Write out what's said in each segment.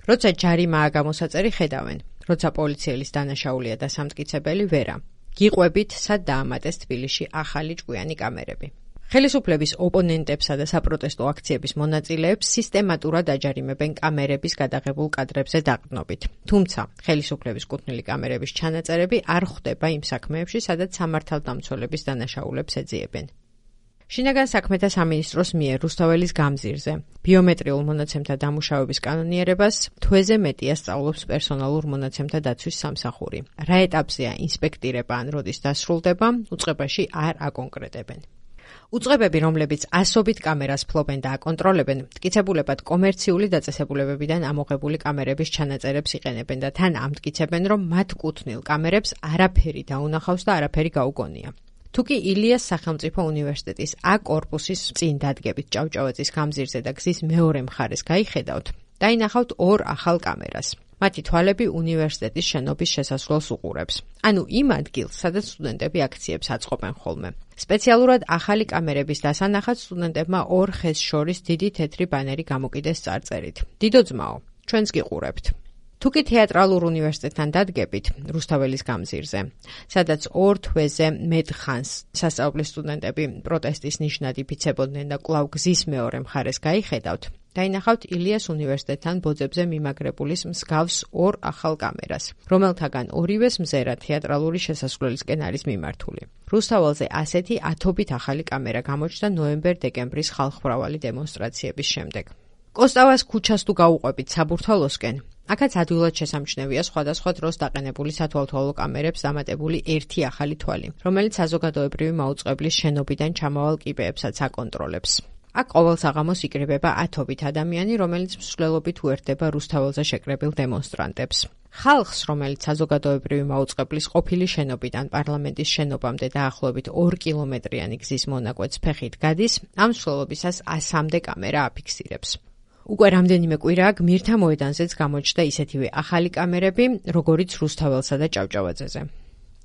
როცა ჯარიმაა გამოსაწერი ხედავენ, როცა პოლიციელის დანაშაულია და სამტკიცებელი ვერა. გიყვებით, სად დაამატეს თბილისში ახალი ჭკვიანი კამერები. ხელისუფლების ოპონენტებსა და საპროტესტო აქციების მონაწილეებს სისტემატურად აჯარიმებენ კამერების გადაღებულ კადრებზე დაყრდნობით. თუმცა, ხელისუფლების კუთვნილი კამერების ჩანაწერები არ ხვდება იმ საქმეებში, სადაც სამართალდამცველების დანაშაულებს ეძიებენ. შინაგან საქმეთა სამინისტროს მიერ რუსთაველის გამზირზე ბიომეტრიულ მონაცემთა დამუშავების კანონიერებას თვეზე მეტია სწავლობს პერსონალურ მონაცემთა დაცვის სამსახური. რა ეტაპზეა ინსპექტირება ან როდის დასრულდება, უწყებაში არ აკონკრეტებენ. უწყებები, რომლებიც ასობით კამერას ფლობენ და აკონტროლებენ, მტკიცებულებად კომერციული დაწესებულებებიდან ამოღებული კამერების ჩანაწერებს იყენებენ და თან ამტკიცებენ, რომ მათ კუთვნილ კამერებს არაფერი დაუნახავს და არაფერი გაუგონია. თუკი ილიას სახელმწიფო უნივერსიტეტის A კორპუსის წინ დადგებით ჭავჭავაძის გამზირზე და გზის მეორე მხარეს გაიხედავთ, დაინახავთ ორ ახალ კამერას. მათი თვალები უნივერსიტეტის შენობის შესასვლელს უყურებს. ანუ იმ ადგილს, სადაც სტუდენტები აქციებს აწყობენ ხოლმე. სპეციალურად ახალი კამერების დასანახად სტუდენტებმა ორ ხეს შორის დიდი თეთრი ბანერი გამოკიდეს წარწერით. დიდო ძმაო, ჩვენს გიყურებთ. თუკი თეატრალურ უნივერსიტეტთან დადგებით რუსთაველის გამზირზე, სადაც 2 თვეზე მეტ ხანს სასწავლებლის სტუდენტები პროტესტის ნიშნად იფიცებოდნენ და კვლავ გზის მეორე მხარეს გაიხედავთ, დაინახავთ ილიას უნივერსიტეტთან ბოძებზე მიმაგრებულის მსგავს 2 ახალ კამერას, რომელთაგან ორივეს მზერა თეატრალური შესასვლელისკენ არის მიმართული. რუსთაველზე ასეთი ათობით ახალი კამერა გამოჩნდა ნოემბერ-დეკემბრის ხალხმრავალი დემონსტრაციების შემდეგ. კოსტავას ქუჩას თუ გაუყვებით საბურთალოსკენ, აქაც ადვილად შესამჩნევია სხვადასხვა დროს დაყენებული სათვალთვალო კამერებს დამატებული ერთი ახალი თვალი, რომელიც საზოგადოებრივი მაუწყებლის შენობიდან ჩამავალ კიბეებსაც აკონტროლებს. აქ ყოველ საღამოს იკრიბება ათობით ადამიანი, რომელიც მსვლელობით უერთდება რუსთაველზე შეკრებილ დემონსტრანტებს. ხალხს, რომელიც საზოგადოებრივი მაუწყებლის ყოფილი შენობიდან პარლამენტის შენობამდე დაახლოებით 2 კილომეტრიანი გზის მონაკვეთს ფეხით გადის, ამ მსვლელობისას 100-მდე კამერა აფიქსირებს. უკვე რამდენიმე კვირაა გმირთა მოედანზეც გამოჩნდა ისეთივე ახალი კამერები, როგორიც რუსთაველსა და ჭავჭავაძეზე.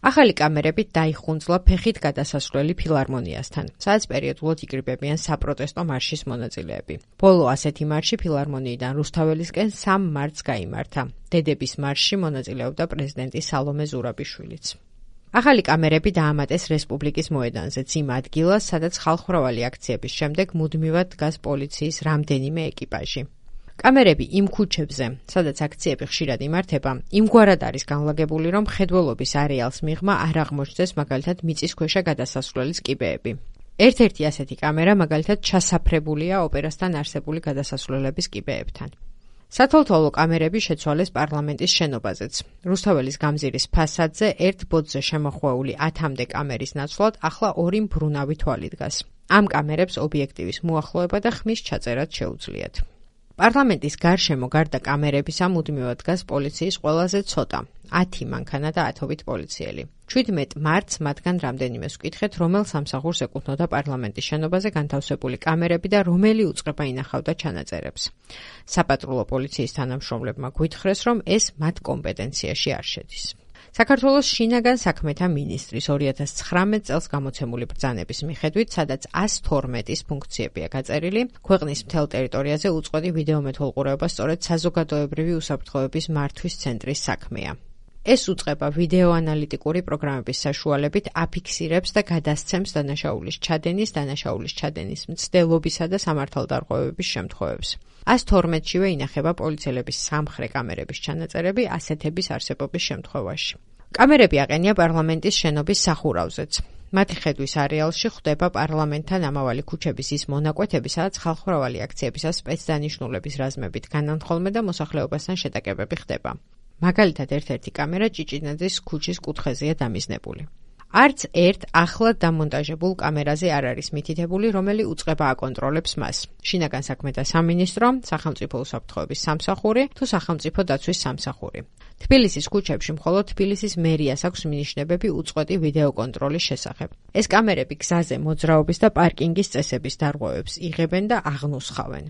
ახალი კამერებით დაიხუნძლა ფეხით გადასასვლელი ფილარმონიასთან, სადაც პერიოდულად იკრიბებიან საპროტესტო მარშის მონაწილეები. ბოლო ასეთი მარში ფილარმონიიდან რუსთაველისკენ 3 მარტს გაიმართა. დედების მარშში მონაწილეობდა პრეზიდენტი სალომე ზურაბიშვილიც. ახალი კამერები დაამატეს რესპუბლიკის მოედანზეც იმ ადგილას, სადაც ხალხმრავალი აქციების შემდეგ მუდმივად დგას პოლიციის რამდენიმე ეკიპაჟი. კამერები იმ ქუჩებზე, სადაც აქციები ხშირად იმართება, იმგვარად არის განლაგებული, რომ მხედველობის არეალს მიღმა არ აღმოჩნდეს მაგალითად მიწისქვეშა გადასასვლელის კიბეები. ერთ-ერთი ასეთი კამერა მაგალითად ჩასაფრებულია ოპერასთან არსებული გადასასვლელების კიბეებთან. სათვალთვალო კამერები შეცვალეს პარლამენტის შენობაზეც. რუსთაველის გამზირის ფასადზე ერთ ბოძზე შემოხვეული 10-მდე კამერის ნაცვლად ახლა 2 მბრუნავი თვალი დგას. ამ კამერებს ობიექტივის მოახლოება და ხმის ჩაწერაც შეუძლიათ. პარლამენტის გარშემო გარდა კამერებისა მუდმივად დგას პოლიციის ყველაზე ცოტა, 10 მანქანა და 10-ობით პოლიციელი. 17 მარტს მათგან რამდენიმეს ვკითხეთ, რომელ სამსახურს ეკუთვნოდა პარლამენტის შენობაზე განთავსებული კამერები და რომელი უწყება ინახავდა ჩანაწერებს. საპატრულო პოლიციის თანამშრომლებმა გვითხრეს, რომ ეს მათ კომპეტენციაში არ შედის. საქართველოს შინაგან საქმეთა მინისტრის 2019 წელს გამოცემული ბრძანების მიხედვით, სადაც 112-ის ფუნქციებია გაწერილი, ქვეყნის მთელ ტერიტორიაზე უწყვეტი ვიდეომეთვალყურეობა სწორედ საზოგადოებრივი უსაფრთხოების მართვის ცენტრის საქმეა. ეს უწყება ვიდეოანალიტიკური პროგრამების საშუალებით აფიქსირებს და გადასცემს დანაშაულის ჩადენის მცდელობისა და სამართალდარღვევების შემთხვევებს. 112-შივე ინახება პოლიციელების სამხრე კამერების ჩანაწერები ასეთების არსებობის შემთხვევაში. კამერები აყენია პარლამენტის შენობის სახურავზეც. მათი ხედვის არეალში ხვდება პარლამენტთან ამავალი ქუჩების ის მონაკვეთები, სადაც ხალხმრავალი აქციებისას სპეცდანიშნულების რაზმებით განანთხოლმე და მოსახლეობასთან შეტაკებები ხდება. მაგალითად, ერთ-ერთი კამერა ჭიჭინაძის ქუჩის კუთხეზეა დამიზნებული. არც ერთ ახლად დამონტაჟებულ კამერაზე არ არის მითითებული, რომელი უწყება აკონტროლებს მას. შინაგან საქმეთა სამინისტრო, სახელმწიფო უსაფრთხოების სამსახური თუ სახელმწიფო დაცვის სამსახური. თბილისის ქუჩებში მხოლოდ თბილისის მერიას აქვს მინიშნებები უწყვეტი ვიდეოკონტროლის შესახებ. ეს კამერები გზაზე მოძრაობის და პარკინგის წესების დარღვევებს იღებენ და აღნუსხავენ.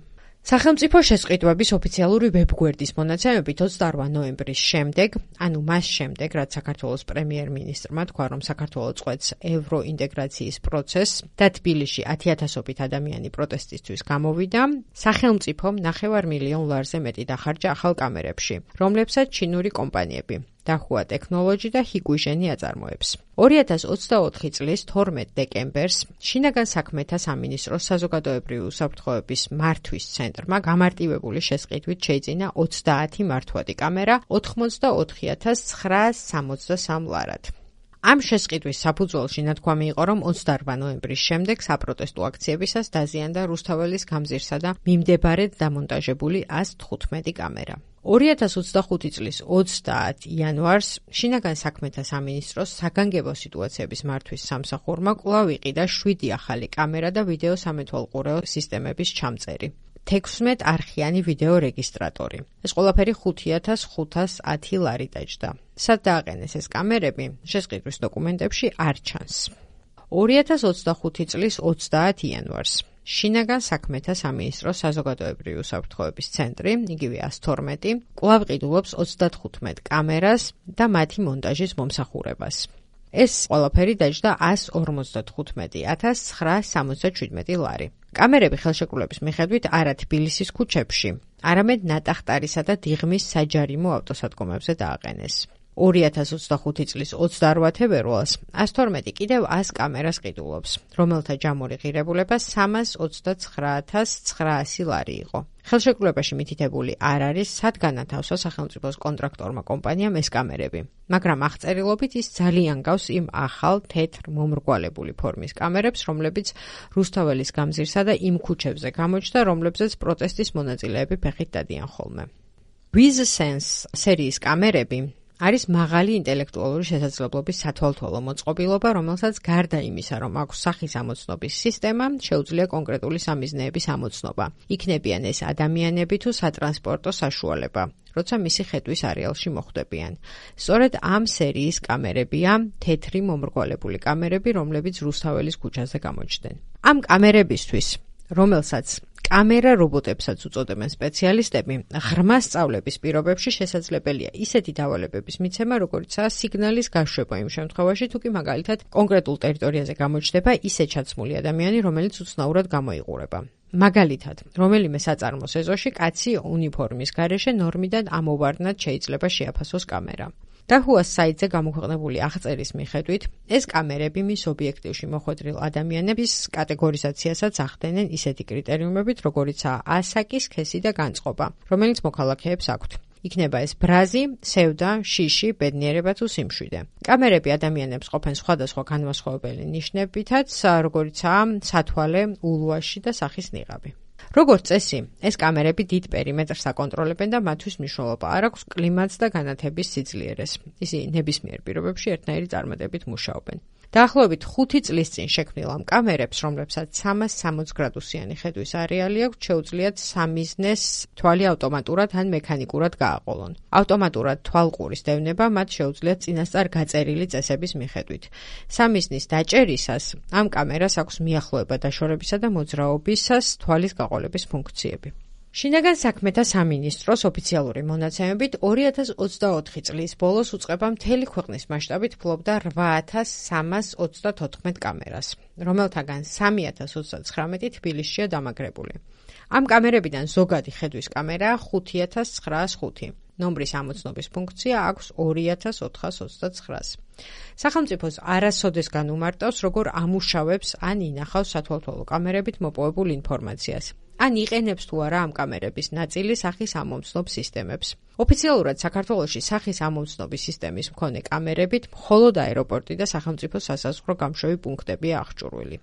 სახელმწიფო შესყიდვების ოფიციალური ვებგვერდის მონაცემებით 28 ნოემბრის შემდეგ, ანუ მას შემდეგ, რაც საქართველოს პრემიერ-მინისტრმა თქვა, რომ საქართველო წყვეტს ევროინტეგრაციის პროცესს და თბილისში 10,000-ობით ადამიანი პროტესტისთვის გამოვიდა, სახელმწიფომ 9 მილიონ ლარზე მეტი დახარჯა ახალ კამერებში, რომლებსაც ჩინური კომპანიები დახუა ტექნოლოჯი და ჰიგუჟენი აწარმოებს. 2024 წლის 12 დეკემბერს შინაგან საქმეთა სამინისტროს საზოგადოებრივი უსაფრთხოების მართვის ცენტრმა გამარტივებული შესყიდვით შეიძინა 30 მართვადი კამერა 84,963 ლარად. ამ შესყიდვის საფუძველში ნათქვამი იყო, რომ 28 ნოემბრის შემდეგ საპროტესტო აქციებისას დაზიანდა რუსთაველის გამზირსა და მიმდებარედ დამონტაჟებული 115 კამერა. 2025 წლის 30 იანვარს შინაგან საქმეთა სამინისტროს საგანგებო სიტუაციების მართვის სამსახურმა კვლავ იყიდა 7 ახალი კამერა და ვიდეო სამეთვალყურეო სისტემების ჩამწერი. 16 არხიანი ვიდეო რეგისტრატორი. ეს ყველაფერი 5,510 ლარი დაჯდა. სად დააყენეს ეს კამერები? შესყიდვის დოკუმენტებში არ ჩანს. 2025 წლის 30 იანვარს შინაგან საქმეთა სამინისტროს საზოგადოებრივი უსაფრთხოების ცენტრი, იგივე 112, კვლავ ყიდულობს 35 კამერას და მათი მონტაჟის მომსახურებას. ეს ყველაფერი დაჯდა 155,967 ლარი. კამერები ხელშეკრულების მიხედვით არა თბილისის ქუჩებში, არამედ ნატახტარისა და დიღმის საჯარიმო ავტოსადგომებზე დააყენეს. 2025 წლის 28 თებერვალს 112 კიდევ 100 კამერას ყიდულობს, რომელთა ჯამური ღირებულება 329,900 ლარი იყო. ხელშეკრულებაში მითითებული არ არის, სად განათავსა სახელმწიფოს კონტრაქტორმა კომპანიამ ეს კამერები, მაგრამ აღწერილობით ის ძალიან გავს იმ ახალ თეთრ მომრგვალებული ფორმის კამერებს, რომლებიც რუსთაველის გამზირსა და იმ ქუჩებზე გამოჩნდა, რომლებზეც პროტესტის მონაწილეები ფეხით დადიან ხოლმე. WizSense სერიის კამერები არის მაღალი ინტელექტუალური შესაძლებლობის სათვალთვალო მოწყობილობა, რომელსაც გარდა იმისა, რომ აქვს სახის ამოცნობის სისტემა, შეუძლია კონკრეტული სამიზნეების ამოცნობა. იქნებიან ეს ადამიანები თუ სატრანსპორტო საშუალება, როცა მისი ხედვის არეალში მოხვდებიან. სწორედ ამ სერიის კამერებია თეთრი მომრგვალებული კამერები, რომლებიც რუსთაველის ქუჩაზე გამოჩნდნენ. ამ კამერებისთვის, რომელსაც კამერა რობოტებსაც უწოდებენ სპეციალისტები, ღრმა სწავლების პირობებში შესაძლებელია ისეთი დავალებების მიცემა, როგორიცაა სიგნალის გაშვება იმ შემთხვევაში, თუ კი მაგალითად კონკრეტულ ტერიტორიაზე გამოჩნდება ისე ჩაცმული ადამიანი, რომელიც უცნაურად გამოიყურება. მაგალითად, რომელიმე საწარმოს ეზოში კაცი უნიფორმის გარეშე ნორმიდან ამოვარდნად შეიძლება შეაფასოს კამერა. დახუას საიტზე გამოქვეყნებული აღწერის მიხედვით, ეს კამერები მის ობიექტივში მოხვედრილ ადამიანების კატეგორიზაციასაც ახდენენ ისეთი კრიტერიუმებით, როგორიცაა ასაკი, სქესი და განწყობა, რომელიც მოქალაქეებს აქვთ. იქნება ეს ბრაზი, სევდა, შიში, ბედნიერება თუ სიმშვიდე. კამერები ადამიანებს ყოფენ სხვადასხვა განმასხვავებელი ნიშნებითაც, როგორიცაა სათვალე, ულვაში და სახის ნიღაბი. როგორც წესი, ეს კამერები დიდ პერიმეტრს აკონტროლებენ და მათთვის მნიშვნელობა არ აქვს კლიმატს და განათების სიძლიერეს. ისინი ნებისმიერ პირობებში ერთნაირი წარმატებით მუშაობენ. დაახლოებით 5 წლის წინ შექმნილ ამ კამერებს, რომლებსაც 360 გრადუსიანი ხედვის არეალი აქვს, შეუძლიათ სამიზნეს თვალი ავტომატურად ან მექანიკურად გააყოლონ. ავტომატურად თვალყურის დევნება მათ შეუძლიათ წინასწარ გაწერილი წესების მიხედვით. სამიზნის დაჭერისას ამ კამერას აქვს მიახლოება დაშორებისა და მოძრაობისას თვალის გაყოლების ფუნქციები. შინაგან საქმეთა სამინისტროს ოფიციალური მონაცემებით 2024 წლის ბოლოს უწყება მთელი ქვეყნის მასშტაბით ფლობდა 8,334 კამერას, რომელთაგან 3,039 თბილისშია დამაგრებული. ამ კამერებიდან ზოგადი ხედვის კამერაა 5,905. ნომრის ამოცნობის ფუნქცია აქვს 2,429. სახელმწიფოს არასოდეს განუმარტავს, როგორ ამუშავებს ან ინახავს სათვალთვალო კამერებით მოპოვებულ ინფორმაციას. ან იყენებს თუ არა ამ კამერების ნაწილი სახის ამომცნობ სისტემებს. ოფიციალურად საქართველოში სახის ამომცნობის სისტემის მქონე კამერებით მხოლოდ აეროპორტი და სახელმწიფო სასაზღვრო გამშვევი პუნქტებია აღჭურვილი.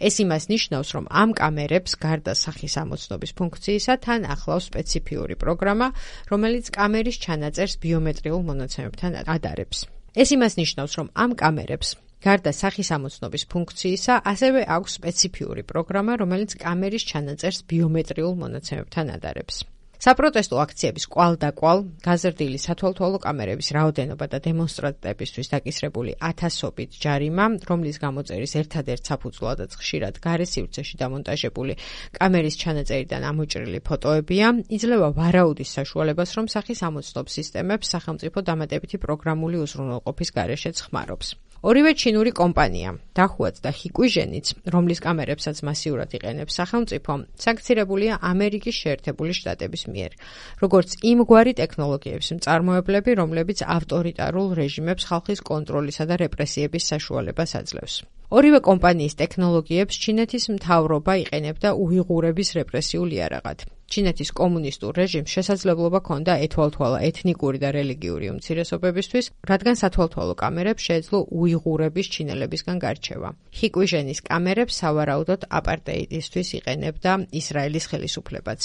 ეს იმას ნიშნავს, რომ ამ კამერებს გარდა სახის ამოცნობის ფუნქციისა თან ახლავს სპეციფიური პროგრამა, რომელიც კამერის ჩანაწერს ბიომეტრიულ მონაცემებთან ადარებს. ეს იმას ნიშნავს, რომ ამ კამერებს გარდა სახის ამოცნობის ფუნქციისა, ასევე აქვს სპეციფიური პროგრამა, რომელიც კამერის ჩანაწერს ბიომეტრიულ მონაცემებთან ადარებს. საპროტესტო აქციების კვალდაკვალ გაზრდილი სათვალთვალო კამერების რაოდენობა და დემონსტრანტებისთვის დაკისრებული ათასობით ჯარიმა, რომლის გამოწერის ერთადერთ საფუძვლადაც ხშირად გარე სივრცეში დამონტაჟებული კამერის ჩანაწერიდან ამოჭრილი ფოტოებია, იძლევა ვარაუდის საშუალებას, რომ სახის ამოცნობის სისტემებს სახელმწიფო დამატებითი პროგრამული უზრუნველყოფის გარეშეც ხმარობს. ორივე ჩინური კომპანია, დახუაც და ჰიკვიჟენიც, რომლის კამერებსაც მასიურად იყენებს სახელმწიფო, სანქცირებულია ამერიკის შეერთებული შტატების მიერ, როგორც იმგვარი ტექნოლოგიების მწარმოებლები, რომლებიც ავტორიტარულ რეჟიმებს ხალხის კონტროლისა და რეპრესიების საშუალებას აძლევს. ორივე კომპანიის ტექნოლოგიებს ჩინეთის მთავრობა იყენებდა უიღურების რეპრესიულ იარაღად. ჩინეთის კომუნისტურ რეჟიმს შესაძლებლობა ჰქონდა ეთვალთვალა ეთნიკური და რელიგიური უმცირესობებისთვის, რადგან სათვალთვალო კამერებს შეეძლო უიღურების ჩინელებისგან გარჩევა. ჰიკვიჟენის კამერებს სავარაუდოდ აპარტეიდისთვის იყენებდა ისრაელის ხელისუფლებაც.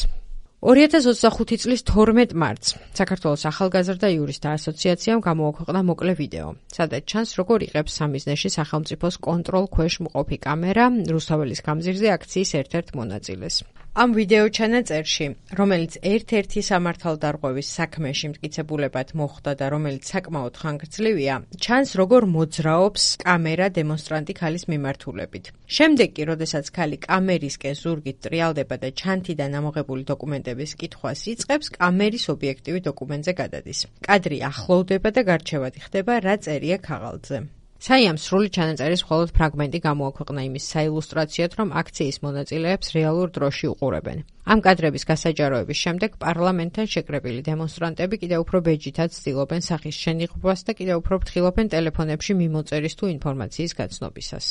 2025 წლის 12 მარტს საქართველოს ახალგაზრდა იურისტთა ასოციაციამ გამოაქვეყნა მოკლე ვიდეო, სადაც ჩანს, როგორ იღებს სამიზნეში სახელმწიფოს კონტროლ ქვეშ მყოფი კამერა რუსთაველის გამზირზე აქციის ერთ-ერთ მონაწილეს. ამ ვიდეო ჩანაწერში, რომელიც ერთ-ერთი სამართალდარღვევის საქმეში მტკიცებულებად მოხვდა და რომელიც საკმაოდ ხანგრძლივია, ჩანს, როგორ მოძრაობს კამერა დემონსტრანტი ქალის მიმართულებით. შემდეგ კი, როდესაც ქალი კამერისკენ ზურგით ტრიალდება და ჩანთიდან ამოღებული დოკუმენტების კითხვას იწყებს, კამერის ობიექტივი დოკუმენტზე გადადის. კადრი ახლოვდება და გარჩევადი ხდება, რა წერია ქაღალდზე. საიამ სრული ჩანაწერის მხოლოდ ფრაგმენტი გამოაქვეყნა იმის საილუსტრაციოდ, რომ აქციის მონაწილეებს რეალურ დროში უყურებენ. ამ კადრების გასაჯაროების შემდეგ პარლამენტთან შეკრებილი დემონსტრანტები კიდევ უფრო ბეჯითაც ცდილობენ სახის შენიღბვას და კიდევ უფრო ფრთხილობენ ტელეფონებში მიმოწერის თუ ინფორმაციის გაცნობისას.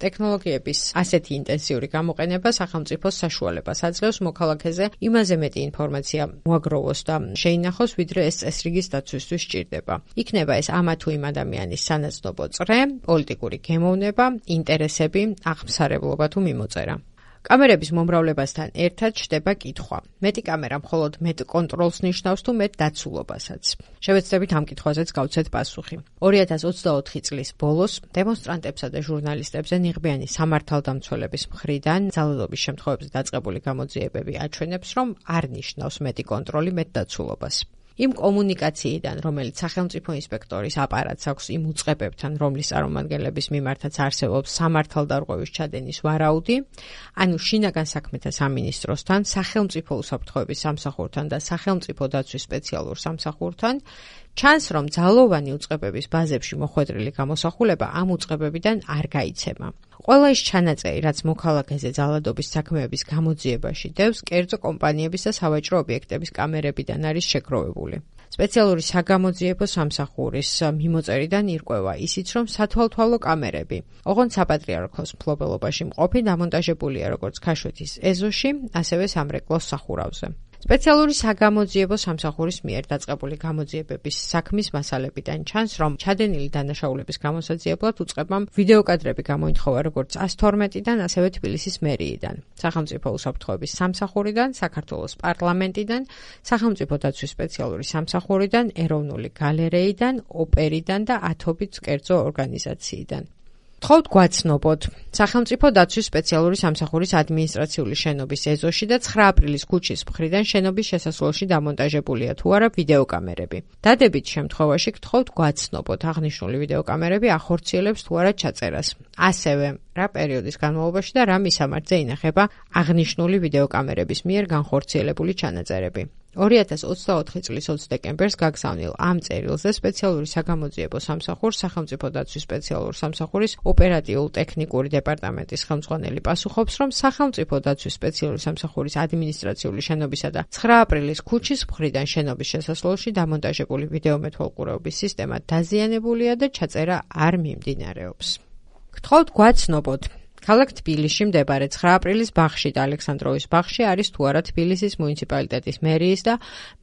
ტექნოლოგიების ასეთი ინტენსიური გამოყენება სახელმწიფოს საშუალებას აძლევს მოქალაქეზე იმაზე მეტი ინფორმაცია მოაგროვოს და შეინახოს, ვიდრე ეს წესრიგის დაცვისთვის სჭირდება. იქნება ეს ამა თუ იმ ადამიანის სანაცნობო წრე, პოლიტიკური გემოვნება, ინტერესები, აღმსარებლობა თუ მიმოწერა. კამერების მომრავლებასთან ერთად ჩდება კითხვა. მეტი კამერა მხოლოდ მეტ კონტროლს ნიშნავს თუ მეტ დაცულობასაც. შევეცდებით ამ კითხვაზეც გავცეთ პასუხი. 2024 წლის ბოლოს დემონსტრანტებსა და ჟურნალისტებზე ნიღბიანი სამართალდამცველების მხრიდან ძალადობის შემთხვევებზე დაწყებული გამოძიებები აჩვენებს, რომ არ ნიშნავს მეტი კონტროლი მეტ დაცულობას. იმ კომუნიკაციიდან, რომელიც სახელმწიფო ინსპექტორის აპარატს აქვს იმ უწყებებთან, რომლის წარმომადგენლების მიმართაც არსებობს სამართალდარღვევის ჩადენის ვარაუდი, ანუ შინაგან საქმეთა სამინისტროსთან, სახელმწიფო უსაფრთხოების სამსახურთან და სახელმწიფო დაცვის სპეციალურ სამსახურთან, ჩანს, რომ ძალოვანი უწყებების ბაზებში მოხვედრილი გამოსახულება ამ უწყებებიდან არ გაიცემა. ყველა ის ჩანაწერი, რაც მოქალაქეზე ძალადობის საქმეების გამოძიებაში დევს, კერძო კომპანიების და სავაჭრო ობიექტების კამერებიდან არის შეგროვებული. სპეციალური საგამოძიებო სამსახურის მიმოწერიდან ირკვევა ისიც, რომ სათვალთვალო კამერები, ოღონდ საპატრიარქოს მფლობელობაში მყოფი დამონტაჟებულია როგორც ქაშვეთის ეზოში, ასევე სამრეკლოს სახურავზე. სპეციალური საგამოძიებო სამსახურის მიერ დაწყებული გამოძიებების საქმის მასალებიდან ჩანს, რომ ჩადენილი დანაშაულების გამოსაძიებლად უწყებამ ვიდეოკადრები გამოითხოვა როგორც 112-დან, ასევე თბილისის მერიიდან, სახელმწიფო უსაფრთხოების სამსახურიდან, საქართველოს პარლამენტიდან, სახელმწიფო დაცვის სპეციალური სამსახურიდან, ეროვნული გალერეიდან, ოპერიდან და ათობით კერძო ორგანიზაციიდან. გთხოვთ გვაცნობოთ სახელმწიფო დაცვის სპეციალური სამსახურის ადმინისტრაციული შენობის ეზოში და 9 აპრილის ქუჩის მხრიდან შენობის შესასვლელში დამონტაჟებულია თუ არა ვიდეოკამერები. დადებით შემთხვევაში გთხოვთ გვაცნობოთ აღნიშნული ვიდეოკამერები ახორციელებს თუ არა ჩაწერას. ასევე რა პერიოდის განმავლობაში და რა მისამართზე ინახება აღნიშნული ვიდეოკამერების მიერ განხორციელებული ჩანაწერები. 2024 წლის 20 დეკემბერს გაგზავნილ ამ წერილზე სპეციალური საგამოძიებო სამსახურს სახელმწიფო დაცვის სპეციალურ სამსახურის ოპერატიულ-ტექნიკური დეპარტამენტის ხელმძღვანელი პასუხობს, რომ სახელმწიფო დაცვის სპეციალური სამსახურის ადმინისტრაციული შენობისა და 9 აპრილის ქუჩის მხრიდან შენობის შესასვლელში დამონტაჟებული ვიდეომეთვალყურეობის სისტემა დაზიანებულია და ჩაწერა არ მიმდინარეობს. გთხოვთ გვაცნობოთ ქალაქ თბილისში მდებარე 9 აპრილის ბაღში და ალექსანდროვის ბაღში არის თუ არა თბილისის მუნიციპალიტეტის მერიის და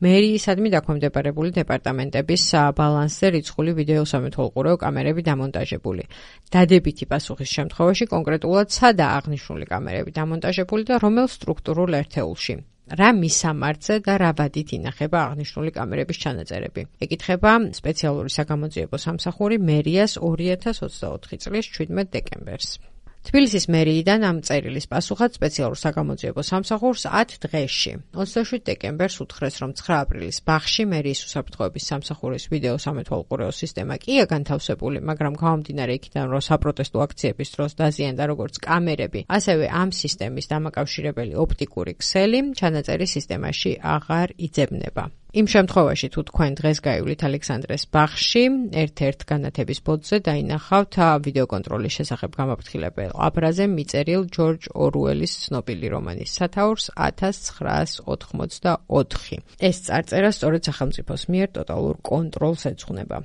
მერიისადმი დაქვემდებარებული დეპარტამენტების ბალანსზე რიცხული ვიდეოსამეთვალყურეო კამერები დამონტაჟებული. დადებითი პასუხის შემთხვევაში კონკრეტულად სადაა აღნიშნული კამერები დამონტაჟებული და რომელ სტრუქტურულ ერთეულში. რა მისამართზე და რა ვადით ინახება აღნიშნული კამერების ჩანაწერები. ეკითხება სპეციალური საგამოძიებო სამსახური მერიას 2024 წლის 17 დეკემბერს. თბილისის მერიიდან ამ წერილის პასუხად სპეციალურ საგამოძიებო სამსახურს 10 დღეში 27 დეკემბერს უთხრეს, რომ 9 აპრილის ბაღში მერიის უსაფრთხოების სამსახურის ვიდეო სამეთვალყურეო სისტემა კია განთავსებული, მაგრამ გამომდინარე იქიდან, რომ საპროტესტო აქციების დროს დაზიანდა როგორც კამერები, ასევე ამ სისტემის დამაკავშირებელი ოპტიკური ქსელი ჩანაწერი სისტემაში აღარ იძებნება. იმ შემთხვევაში, თუ თქვენ დღეს გაივლით ალექსანდრეს ბაღში, ერთ-ერთ განათების ბოძზე დაინახავთ ვიდეოკონტროლის შესახებ გამაფრთხილებელ აბრაზე მიწერილ ჯორჯ ორუელის ცნობილი რომანის სათაურს 1984. ეს წარწერა სწორედ სახელმწიფოს მიერ ტოტალურ კონტროლს ეძღვნება.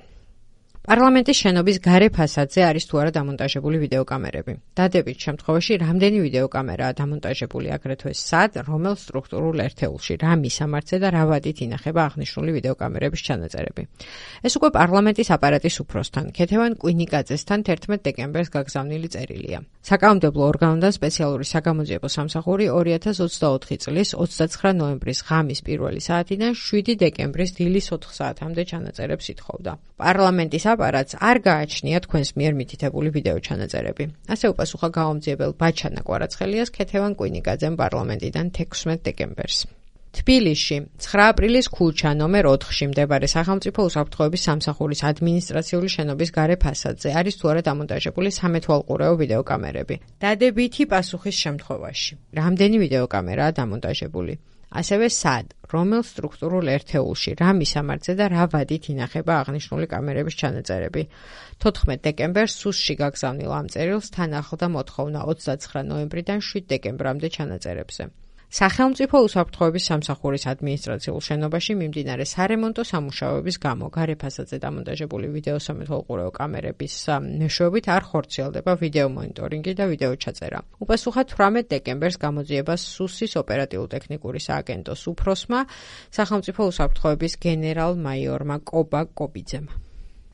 პარლამენტის შენობის გარე ფასადზე არის თუ არა დამონტაჟებული ვიდეოკამერები. დადებით შემთხვევაში, რამდენი ვიდეოკამერაა დამონტაჟებული აგრეთვე სად, რომელ სტრუქტურულ ერთეულში, რა მისამართზე და რა ვადით ინახება აღნიშნული ვიდეოკამერების ჩანაწერები. ეს უკვე პარლამენტის აპარატის უფროსთან, ქეთევან კვინიკაძესთან 11 დეკემბერს გაგზავნილი წერილია. საკანონმდებლო ორგანოდან სპეციალური საგამოძიებო სამსახური 2024 წლის 29 ნოემბრის ღამის 1 საათიდან 7 დეკემბრის დილის 4 საათამდე ჩანაწერებს ითხოვდა. პარლამენტის აპარატს არ გააჩნია თქვენს მიერ მითითებული ვიდეო ჩანაწერები. ასე უპასუხა გამომძიებელ ბაჩანა კვარაცხელიას ქეთევან კვინიკაძემ პარლამენტიდან 16 დეკემბერს. თბილისში 9 აპრილის ქუჩა ნომერ 4-ში მდებარე სახელმწიფო უსაფრთხოების სამსახურის ადმინისტრაციული შენობის გარე ფასადზე არის თუ არა დამონტაჟებული სამეთვალყურეო ვიდეოკამერები. დადებითი პასუხის შემთხვევაში, რამდენი ვიდეოკამერაა დამონტაჟებული? ასევე სად, რომელ სტრუქტურულ ერთეულში, რა მისამართზე და რა ვადით ინახება აღნიშნული კამერების ჩანაწერები. 14 დეკემბერს სუსში გაგზავნილ ამ წერილს თან ახლდა მოთხოვნა 29 ნოემბრიდან 7 დეკემბრამდე ჩანაწერებზე. სახელმწიფო უსაფრთხოების სამსახურის ადმინისტრაციულ შენობაში მიმდინარე სარემონტო სამუშაოების გამო გარე ფასადზე დამონტაჟებული ვიდეო სამეთვალყურეო კამერების მეშვეობით არ ხორციელდება ვიდეო მონიტორინგი და ვიდეო ჩაწერა. უპასუხა 18 დეკემბერს გამოძიებას სუსის ოპერატიულ-ტექნიკური სააგენტოს უფროსმა, სახელმწიფო უსაფრთხოების გენერალ-მაიორმა კობა კობიძემ.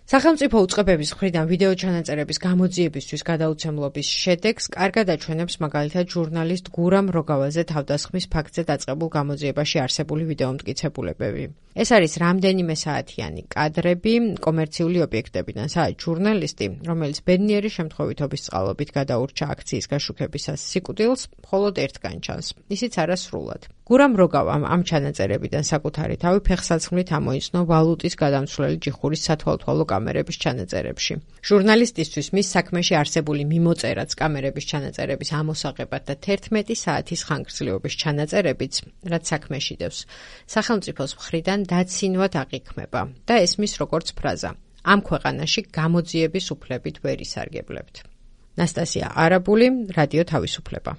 სახელმწიფო უწყებების მხრიდან ვიდეო ჩანაწერების გამოძიებისთვის გადაუცემლობის შედეგს კარგად აჩვენებს მაგალითად ჟურნალისტ გურამ როგავაზე თავდასხმის ფაქტზე დაწყებულ გამოძიებაში არსებული ვიდეო მტკიცებულებები. ეს არის რამდენიმე საათიანი კადრები კომერციული ობიექტებიდან, სადაც ჟურნალისტი, რომელიც ბედნიერი შემთხვევითობის წყალობით გადაურჩა აქციის გაშუქებისას სიკვდილს, მხოლოდ ერთგან ჩანს, ისიც არასრულად. გურამ როგავამ ამ ჩანაწერებიდან საკუთარი თავი ფეხსაცმლით ამოიცნო ვალუტის გადამცვლელი ჯიხურის სათვალთვალო კამერების ჩანაწერებში. ჟურნალისტისთვის მის საქმეში არსებული მიმოწერაც კამერების ჩანაწერების ამოსაღებად და 11 საათის ხანგრძლივობის ჩანაწერებიც, რაც საქმეში დევს, სახელმწიფოს მხრიდან დაცინვად აღიქმება და ესმის როგორც ფრაზა: ამ ქვეყანაში გამოძიების უფლებით ვერ ისარგებლებთ. ნასტასია არაბული, რადიო თავისუფლება.